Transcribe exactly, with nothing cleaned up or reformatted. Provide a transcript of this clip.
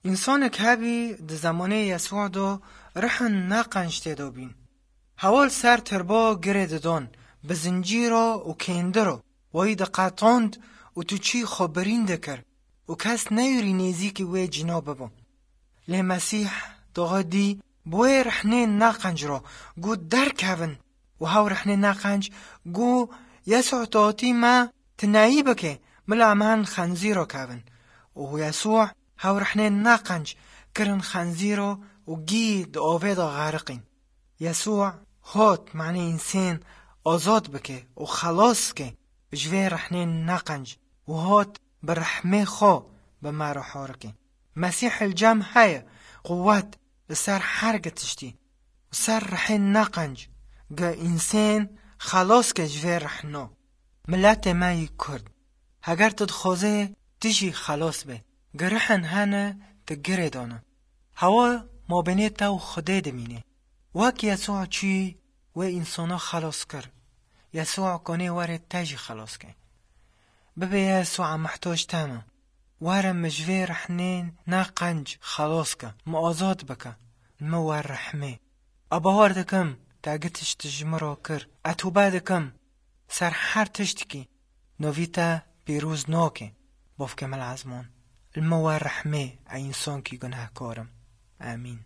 Însanek hebî di zemanê Yesûa de rihin neqenc tê de bîn. Hewa li ser tirba girê didon, bi zincîro û kêndiro, wayî diqetand û tu çî xwe birîn dikir û kes neyûrî nêzîkî wê cîna bibo. Lê Mesîh doxê dî bi wê rihnên neqenc re got, "Derkevin." Û hew rihnên neqenc got, "Yesû, tu hatî me tineyî bike, bila em hin xenzîro kevin." Û Yesû hew rihnên neqenc kirin xenzîro û gî di avê de xeriqîn. Yesû hot, manê însên azad bike û xelas ke ji vê rihnên neqenc û hot bi rehmê xwe bi me re harike. Mesîh li cem heye, quwet li ser her gi tiştî û ser rihên neqenc gi însên xelas ke ji vê rihno. Miletê me yî Kurd, heger tu dixwazê tu jî xelas be, gi rihin hene tu girê dane. Hewa mabênê te û Xwedê dimîne. Wek Yesûa çû wê însana xelas kir, Yesûa kanê were te jî xelas ke. Bibê Yesûa mihtoc te me. Were min ji vê rihnên neqenc xelas ke, min azad bike, min wer rehmê. A bawer dikim, te gi tişt ji min re kir. E tûbe dikim, ser her tiştikî novî te pîroz nake. Bavkê min li ezman, li min wer rehmê, e însankî gunehkar im. Amîn.